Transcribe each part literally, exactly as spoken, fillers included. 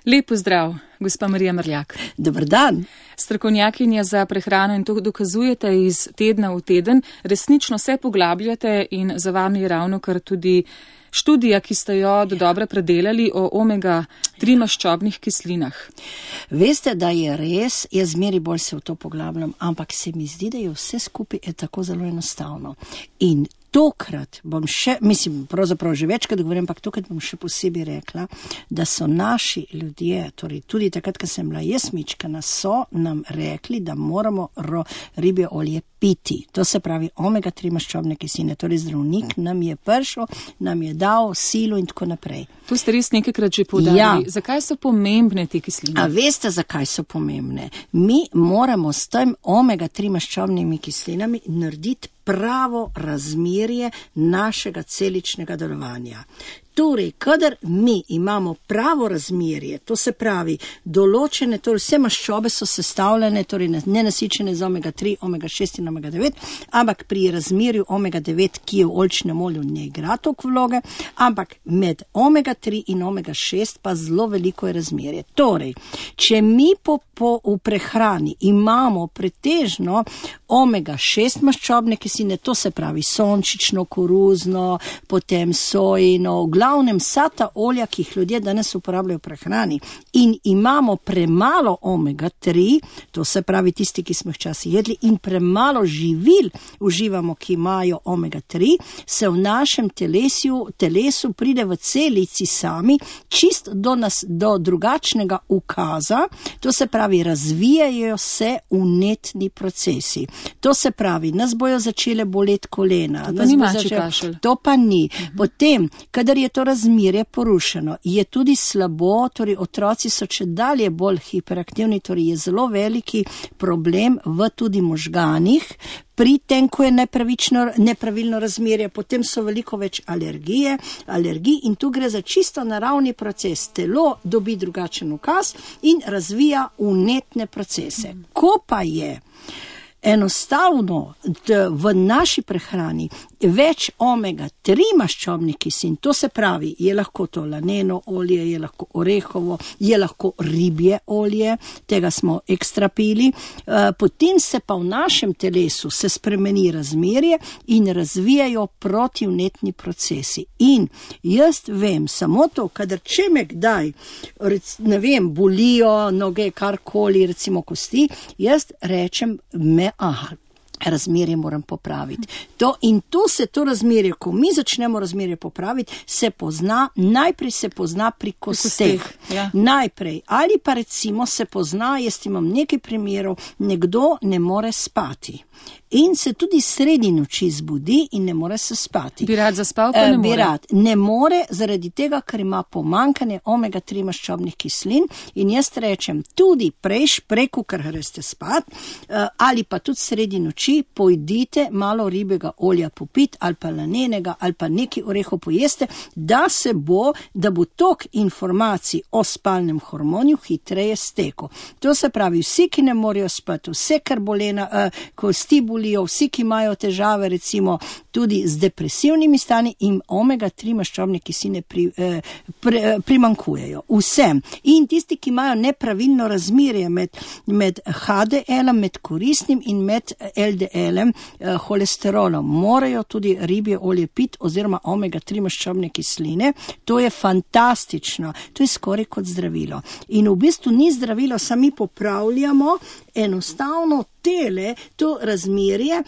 Lep pozdrav, gospa Marija Mrljak. Dobar dan. Strokovnjakinja za prehrano in to dokazujete iz tedna v teden. Resnično se poglabljate in za vami je ravno kar tudi študija, ki ste jo do dobro predelali o omega tri maščobnih kislinah. Veste, da je res, jaz zmeri bolj se v to poglabljam, ampak se mi zdi, da je vse skupaj je tako zelo enostavno. In tokrat bom še, mislim, pravzaprav že večkrat govorim, ampak tokrat bom še posebej rekla, da so naši ljudje, torej tudi takrat, ko sem bila jaz mičkana, so nam rekli, da moramo ro, ribje olje piti. To se pravi omega tri maščobne kisline. Torej zdravnik nam je prišel, nam je dal silo in tako naprej. To ste res nekajkrat že poudarili. Ja. Zakaj so pomembne te kisline? A veste, zakaj so pomembne? Mi moramo s tem omega tri maščobnimi kislinami narediti pravo razmerje našega celičnega delovanja. Torej, kadar mi imamo pravo razmerje, to se pravi določene, torej vse maščobe so sestavljene, torej nenasičene z omega tri, omega šest in omega devet, ampak pri razmerju omega devet, ki je v oljčnem olju, ne igra toliko vloge, ampak med omega tri in omega šest pa zelo veliko je razmerje. Torej, če mi po, po, v prehrani imamo pretežno omega šest maščobne kisline, to se pravi sončično, koruzno, potem sojino, v glavnem vsa ta olja, ki jih ljudje danes uporabljajo v prehrani, in imamo premalo omega tri, to se pravi tisti, ki smo jih včasih jedli, in premalo živil uživamo, ki imajo omega tri, se v našem telesu, telesu pride v celici sami čist do, nas, do drugačnega ukaza, to se pravi razvijajo se vnetni procesi. To se pravi, nas bojo začele boleti kolena. To pa ni mačji kašelj. To pa ni. Potem, kadar je to razmerje porušeno, je tudi slabo, torej otroci so čedalje bolj hiperaktivni, torej je zelo veliki problem v tudi možganih, pri tem, ko je nepravilno razmerje, potem so veliko več alergije, alergij in tu gre za čisto naravni proces. Telo dobi drugačen ukaz in razvija vnetne procese. Ko pa je enostavno v naši prehrani več omega tri maščobnih kislin, to se pravi, je lahko to laneno olje, je lahko orehovo, je lahko ribje olje, tega smo ekstra pili, potem se pa v našem telesu se spremeni razmerje in razvijajo protivnetni procesi. In jaz vem samo to, kadar če me kdaj, ne vem, bolijo noge, karkoli, recimo kosti, jaz rečem me, aha, razmerje moram popraviti. To, in to se to razmerje, ko mi začnemo razmerje popraviti, se pozna, najprej se pozna pri kosteh. Ja. Najprej. Ali pa recimo se pozna, jaz imam nekaj primerov, nekdo ne more spati. In se tudi sredi noči zbudi in ne more se spati. Bi rad zaspal, pa ne more. Bi rad. Ne more zaradi tega, ker ima pomankanje omega tri maščobnih kislin in jaz rečem, tudi prejš, preko, ker greste spat, ali pa tudi sredi noči pojdite malo ribjega olja popit, ali pa lanenega, ali pa neki orehov pojeste, da se bo, da bo tok informacij o spalnem hormonju hitreje stekel. To se pravi, vsi, ki ne morejo spati, vse, kar bolena, kosti bolijo, vsi, ki imajo težave, recimo tudi z depresivnimi stanji, in omega tri maščobne kisline pri, eh, pri, eh, primankujejo. Vsem. In tisti, ki imajo nepravilno razmerje med, med H D L-em, med koristnim in med L D L-em, eh, holesterolom, morajo tudi ribje olje piti oziroma omega tri maščobne kisline. To je fantastično. To je skoraj kot zdravilo. In v bistvu ni zdravilo, sami popravljamo enostavno tele, to razmerje,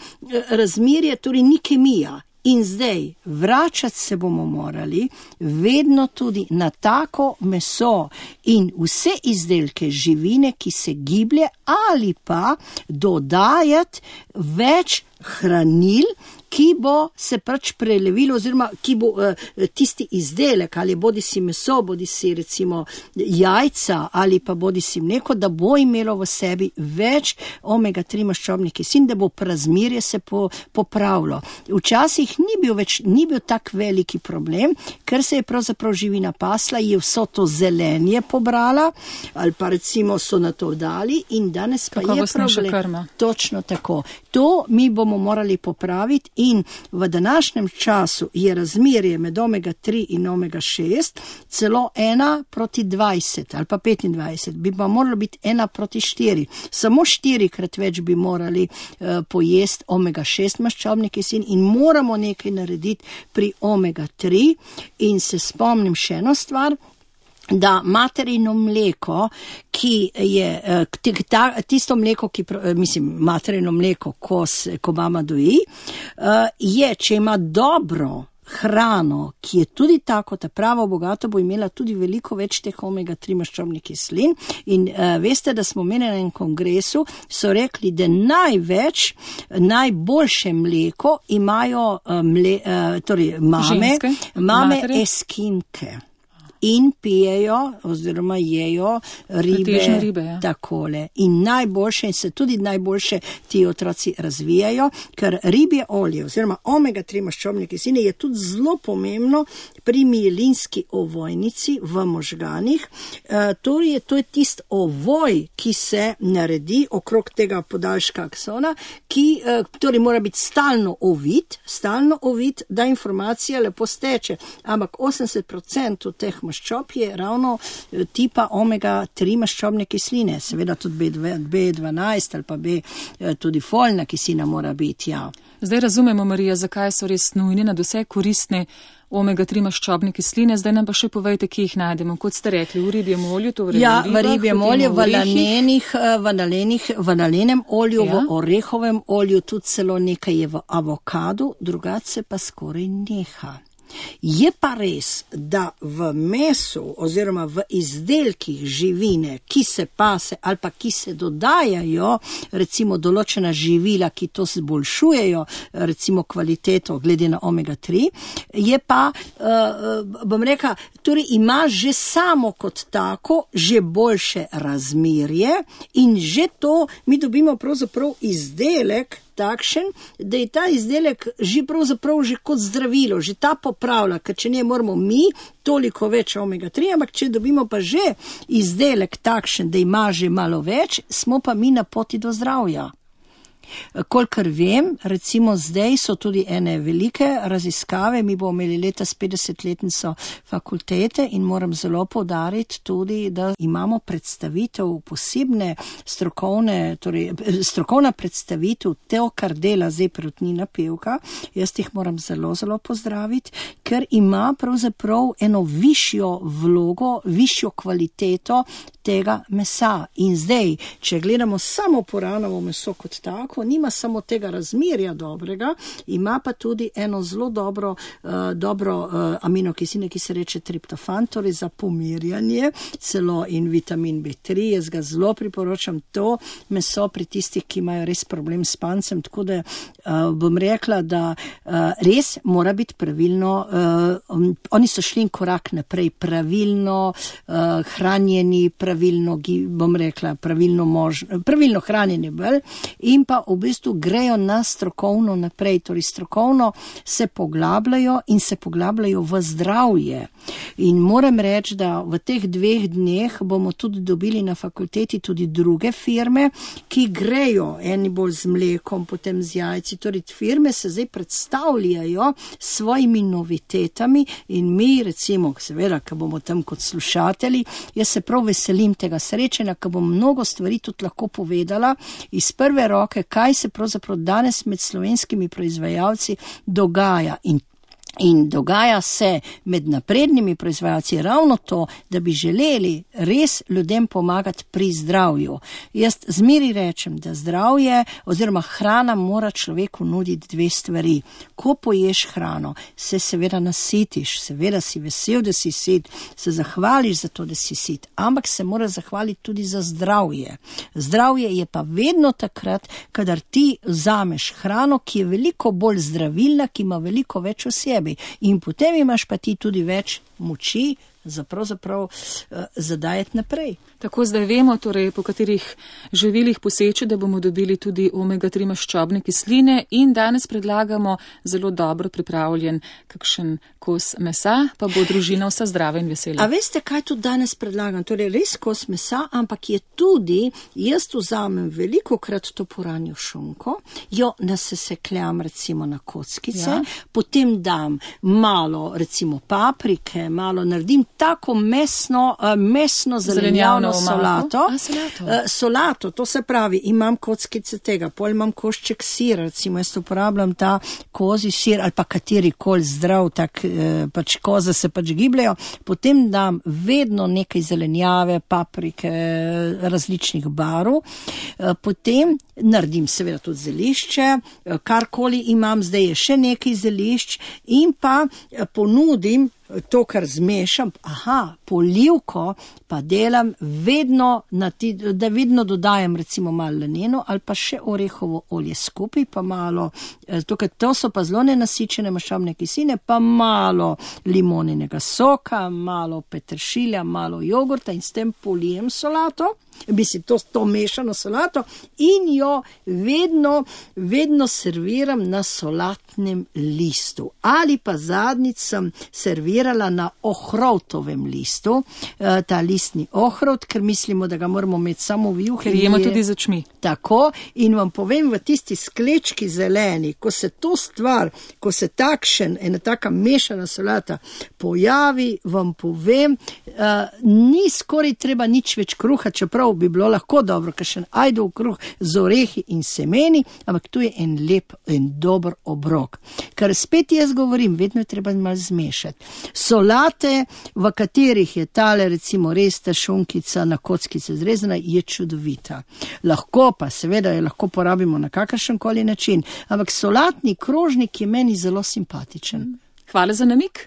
razmerje, torej ni kemija. In zdaj, vračati se bomo morali vedno tudi na tako meso in vse izdelke živine, ki se giblje, ali pa dodajati več hranil, ki bo se pač prelevilo, oziroma ki bo uh, tisti izdelek, ali bodi si meso, bodi si recimo jajca, ali pa bodi si mleko, da bo imelo v sebi več omega tri maščobnih kislin, da bo razmerje se po, popravilo. Včasih ni bil več, ni bil tak veliki problem, ker se je pravzaprav živina pasla, je vso to zelenje pobrala, ali pa recimo so na to dali in danes pa je problem. Točno tako. To mi bomo morali popraviti In v današnjem času je razmerje med omega tri in omega šest celo ena proti dvajset ali pa petindvajset, bi pa moralo biti ena proti štiri. Samo štirikrat več bi morali uh, pojesti omega šest maščobnih kislin in moramo nekaj narediti pri omega tri. In se spomnim še eno stvar, da materino mleko, ki je, tisto mleko, ki, mislim, materino mleko, ko, se, ko mama doji, je, če ima dobro hrano, ki je tudi tako, ta pravo bogato, bo imela tudi veliko več teh omega tri maščobnih kislin. In uh, veste, da smo imeli na enem kongresu, so rekli, da največ, najboljše mleko imajo uh, mle, uh, torej mame, Ženske, mame matere. Eskinke. In pijejo oziroma jejo ribe, ribe ja. Takole. In najboljše, in se tudi najboljše ti otroci razvijajo, ker ribje olje oziroma omega tri maščobne kisline je tudi zelo pomembno pri mielinski ovojnici v možganih. E, to je, to je tist ovoj, ki se naredi okrog tega podaljška aksona, ki e, torej mora biti stalno ovit, stalno ovit, da informacija lepo steče. Ampak osemdeset procentov teh maščob je ravno tipa omega tri maščobne kisline. Seveda tudi B dvanajst ali pa B, tudi folna kislina mora biti, ja. Zdaj razumemo, Marija, zakaj so res nujne, nadvse koristne omega tri maščobne kisline. Zdaj nam pa še povejte, kje jih najdemo. Kot ste rekli, v ribjem olju, to v ja, ribah, v ribjem olju, v lanenih, v nalenih, v nalenem olju, ja. V orehovem olju, tudi celo nekaj je v avokadu, drugače pa skoraj neha. Je pa res, da v mesu oziroma v izdelkih živine, ki se pase ali pa ki se dodajajo, recimo določena živila, ki to zboljšujejo, recimo kvaliteto glede na omega tri, je pa, uh, bom rekla, torej ima že samo kot tako že boljše razmerje in že to mi dobimo pravzaprav izdelek takšen, da je ta izdelek že pravzaprav že kot zdravilo, že ta popravlja, ker če ne moramo mi toliko več omega tri, ampak če dobimo pa že izdelek takšen, da ima že malo več, smo pa mi na poti do zdravja. Kolikor vem, recimo zdaj so tudi ene velike raziskave, mi bomo imeli letos petdesetletnico fakultete in moram zelo poudariti tudi, da imamo predstavitev posebne strokovne, torej strokovna predstavitev to, kar dela zdaj Perutnina Pevka. Jaz jih moram zelo, zelo pozdraviti, ker ima pravzaprav eno višjo vlogo, višjo kvaliteto tega mesa. In zdaj, če gledamo samo poranovo meso kot tako, nima samo tega razmerja dobrega, ima pa tudi eno zelo dobro, uh, dobro uh, aminokisline, ki se reče triptofan, torej za pomirjanje, celo in vitamin B tri. Jaz ga zelo priporočam to meso pri tistih, ki imajo res problem s pancem, tako da uh, bom rekla, da uh, res mora biti pravilno, uh, um, oni so šli korak naprej, pravilno uh, hranjeni, pravilno, bom rekla, pravilno, mož, pravilno hranjeni bolj in pa v bistvu grejo na strokovno naprej, torej strokovno se poglabljajo in se poglabljajo v zdravje. In moram reči, da v teh dveh dneh bomo tudi dobili na fakulteti tudi druge firme, ki grejo eni bolj z mlekom, potem z jajci, torej firme se zdaj predstavljajo s svojimi novitetami in mi recimo, seveda, ko bomo tam kot slušatelji, jaz se prav veselim tega srečanja, ko bom mnogo stvari tudi lahko povedala iz prve roke, kaj se pravzaprav danes med slovenskimi proizvajalci dogaja. In In dogaja se med naprednimi proizvajalci ravno to, da bi želeli res ljudem pomagati pri zdravju. Jaz zmeri rečem, da zdravje oziroma hrana mora človeku nuditi dve stvari. Ko poješ hrano, se seveda nasitiš, seveda si vesel, da si sit, se zahvališ za to, da si sit, ampak se mora zahvaliti tudi za zdravje. Zdravje je pa vedno takrat, kadar ti vzameš hrano, ki je veliko bolj zdravilna, ki ima veliko več v sebi. In potem imaš pa ti tudi več moči za pravzaprav uh, zadajati naprej. Tako zdaj vemo, torej, po katerih živilih poseči, da bomo dobili tudi omega tri maščobne kisline in danes predlagamo zelo dobro pripravljen kakšen kos mesa, pa bo družina vsa zdrava in vesela. A veste, kaj tudi danes predlagam? Torej, res kos mesa, ampak je tudi, jaz vzamem veliko krat to puranjo šunko, jo nasesekljam recimo na kockice, ja. Potem dam malo recimo paprike, malo naredim tako mesno, uh, mesno zelenjavno solato. A, solato. Uh, solato, to se pravi, imam kockice tega, pol imam košček sira, recimo jaz uporabljam ta kozi sir ali pa kateri kol zdrav, tak uh, pač koze se pač gibljajo, potem dam vedno nekaj zelenjave, paprike, različnih barv, uh, potem naredim seveda tudi zelišče, uh, karkoli imam, zdaj je še nekaj zelišč in pa uh, ponudim to, kar zmešam, aha, polivko pa delam vedno, na ti, da vedno dodajam recimo malo laneno ali pa še orehovo olje skupaj, pa malo, tukaj to so pa zelo nenasičene maščobne kisline, pa malo limoninega soka, malo peteršilja, malo jogurta in s tem polijem solato, bi si to, to mešano solato in jo vedno, vedno serviram na solatnem listu. Ali pa zadnjič sem servirala na ohrovtovem listu, ta listni ohrovt, ker mislimo, da ga moramo imeti samo v juhi. Ker jemo tudi z očmi. Tako, in vam povem, v tisti sklečki zeleni, ko se to stvar, ko se takšen, ena taka mešana solata pojavi, vam povem, uh, ni skoraj treba nič več kruha, čeprav bi bilo lahko dobro, kakšen ajdov kruh z orehi in semeni, ampak tu je en lep in dober obrok. Kar spet jaz govorim, vedno je treba malo zmešati. Solate, v katerih je tale recimo res ta šunkica na kockice zrezana, je čudovita. Lahko pa, seveda jo lahko porabimo na kakršen koli način, ampak solatni krožnik je meni zelo simpatičen. Hvala za namig.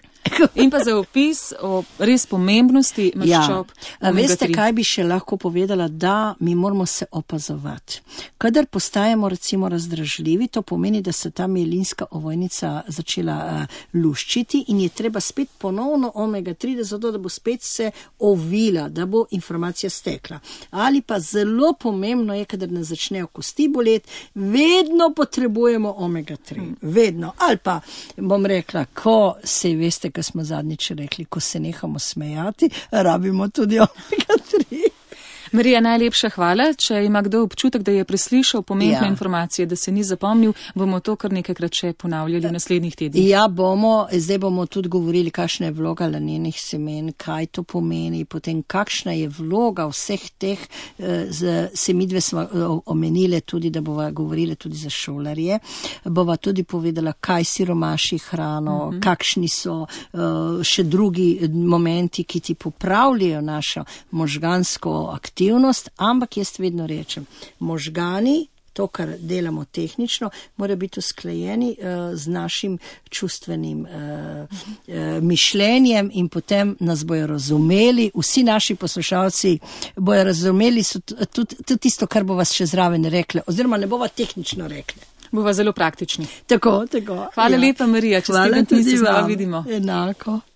In pa za opis o res pomembnosti maščob. Ja. Veste, kaj bi še lahko povedala, da mi moramo se opazovati. Kadar postajamo recimo razdražljivi, to pomeni, da se ta mielinska ovojnica začela uh, luščiti in je treba spet ponovno omega tri, da zato, da bo spet se ovila, da bo informacija stekla. Ali pa zelo pomembno je, kadar nas začnejo kosti boleti, vedno potrebujemo omega tri. Hmm. Vedno. Ali pa bom rekla, ko se veste, ko smo zadnjič rekli, ko se nehamo smejati, rabimo tudi omega tri. Marija, najlepša hvala. Če ima kdo občutek, da je preslišal pomembne ja. informacije, da se ni zapomnil, bomo to kar nekajkrat še ponavljali v naslednjih tednih. Ja, bomo, zdaj bomo tudi govorili, kakšna je vloga lanenih semen, kaj to pomeni, potem kakšna je vloga vseh teh, z, se midve smo omenile tudi, da bova govorili tudi za šolarje, bova tudi povedala, kaj siromaši hrano, uh-huh. kakšni so uh, še drugi momenti, ki ti popravljajo našo možgansko aktivnost, ampak jaz vedno rečem, možgani, to, kar delamo tehnično, mora biti usklajeni uh, z našim čustvenim uh, uh, mišljenjem in potem nas bojo razumeli, vsi naši poslušalci bojo razumeli tudi, tudi tisto, kar bo vas še zraven rekle, oziroma ne bova tehnično rekle. Bova zelo praktični. Tako, tako. Hvala ja. lepa, Marija, čez teden tudi se znova vidimo. Enako.